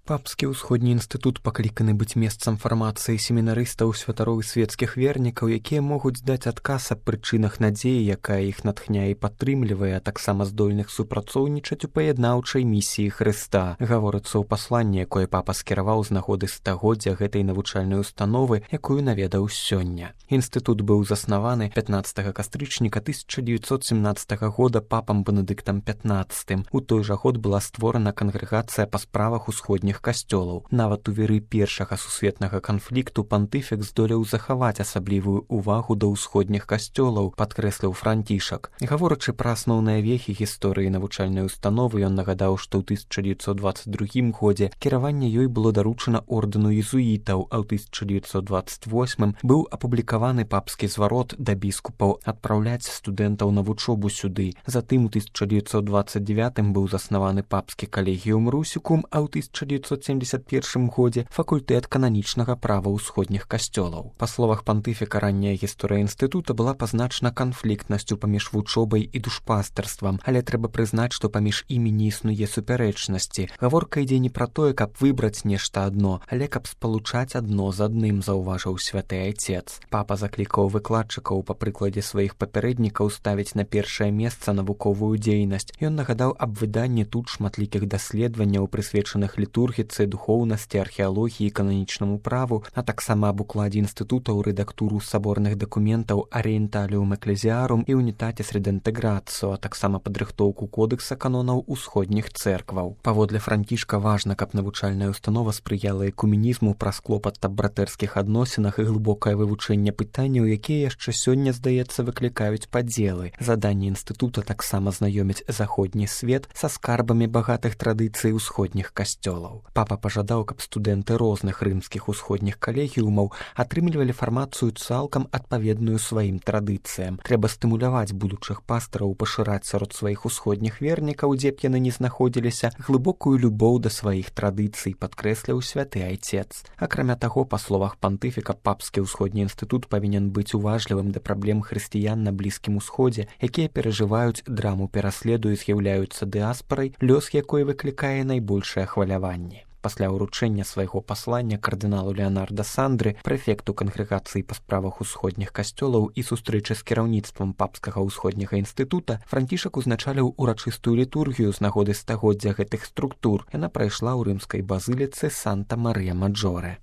Папскі ўсходні інстытут пакліканы быць месцам фармацыі семінарыстаў, святароў і светскіх вернікаў, якія могуць даць адказ аб прычынах надзеі, якая іх натхняе і падтрымлівае, а таксама здольных супрацоўнічаць у паяднаўчай місіі Хрыста. Гаворыцца ў пасланні, якое папа скіраваў з нагоды стагоддзя гэтай навучальнай установы, якую наведаў сёння. Інстытут быў заснаваны 15 кастрычніка 1917 года папам Бенедыктам XV. У той жа год была створана кангрэгацыя па справах усходніх касцёлаў. Нават у веры першага сусветнага канфлікту пантыфік здолеў захаваць асаблівую ўвагу да ўсходніх касцёлаў, падкрэсліў Францішак. Гаворачы пра асноўныя вехі гісторыі навучальнай установы, ён нагадаў, што ў 1922 годзе кіраванне ёй было даручана ордэну езуітаў, а ў 1928 быў апублікаваны папскі зварот да біскупаў адпраўляць студэнтаў на вучобу сюды. Затым у 1929 быў заснаваны папскі калегіум русікум, а ў 1971 годзе факультэт кананічнага права ўсходніх касцёлаў. Па словах пантыфіка, ранняя гісторыя інстытута была пазначана канфліктнасцю паміж вучобай і душпастарствам, але трэба прызнаць, што паміж імі не існуе супярэчнасці. Гаворка ідзе не пра тое, каб выбраць нешта адно, але каб спалучаць адно з адным, заўважыў святы айцец. Папа заклікаў выкладчыкаў па прыкладзе сваіх папярэднікаў ставіць на першае месца навуковую дзейнасць. Ён нагадаў аб выданні тут шматлікіх даследаванняў, прысвечаных літургіцы, духоўнасці, археалогіі, кананічнаму праву, а таксама аб укладзе інстытута ў рэдактуру саборных дакументаў Аріенталіум Экклезіарум і Унітатіс Редэнтэграцыо, а таксама падрыхтоўку кодэкса канонаў усходніх цэркваў. Паводле Францішка важна, каб навучальная установа спрыяла экумінізму праз клопат аб братэрскіх адносінах і глыбокае вывучэнне пытанняў, якія яшчэ сёння, здаецца, выклікаюць падзелы. Заданне інстытута таксама знаёміць заходні свет са скарбамі багатых традыцый усходніх касцёлаў. Папа пажадаў, каб студэнты розных рымскіх усходніх калегіумаў атрымлівалі фармацыю цалкам адпаведную сваім традыцыям. Трэба стымуляваць будучых пастараў пашыраць сярод сваіх усходніх вернікаў, дзе б яны не знаходзіліся, глыбокую любоў да сваіх традыцый, падкрэсліў святы айцец. Акрамя таго, па словах пантыфіка, папскі ўсходні інстытут павінен быць уважлівым да праблем хрысціян на Блізкім Усходзе, якія перажываюць драму пераследу і з'яўляюцца дыаспарай, лёс якой выклікае найбольшае хваляванне. Пасля ўручэння свайго паслання кардыналу Леанарда Сандры, прэфекту кангрэгацыі па справах усходніх касцёлаў і сустрэчы з кіраўніцтвам папскага ўсходняга інстытута, Францішак узначаліў урачыстую літургію з нагоды стагоддзя гэтых структур. Яна прайшла ў рымскай базыліцы Санта-Марыя-Маджоре.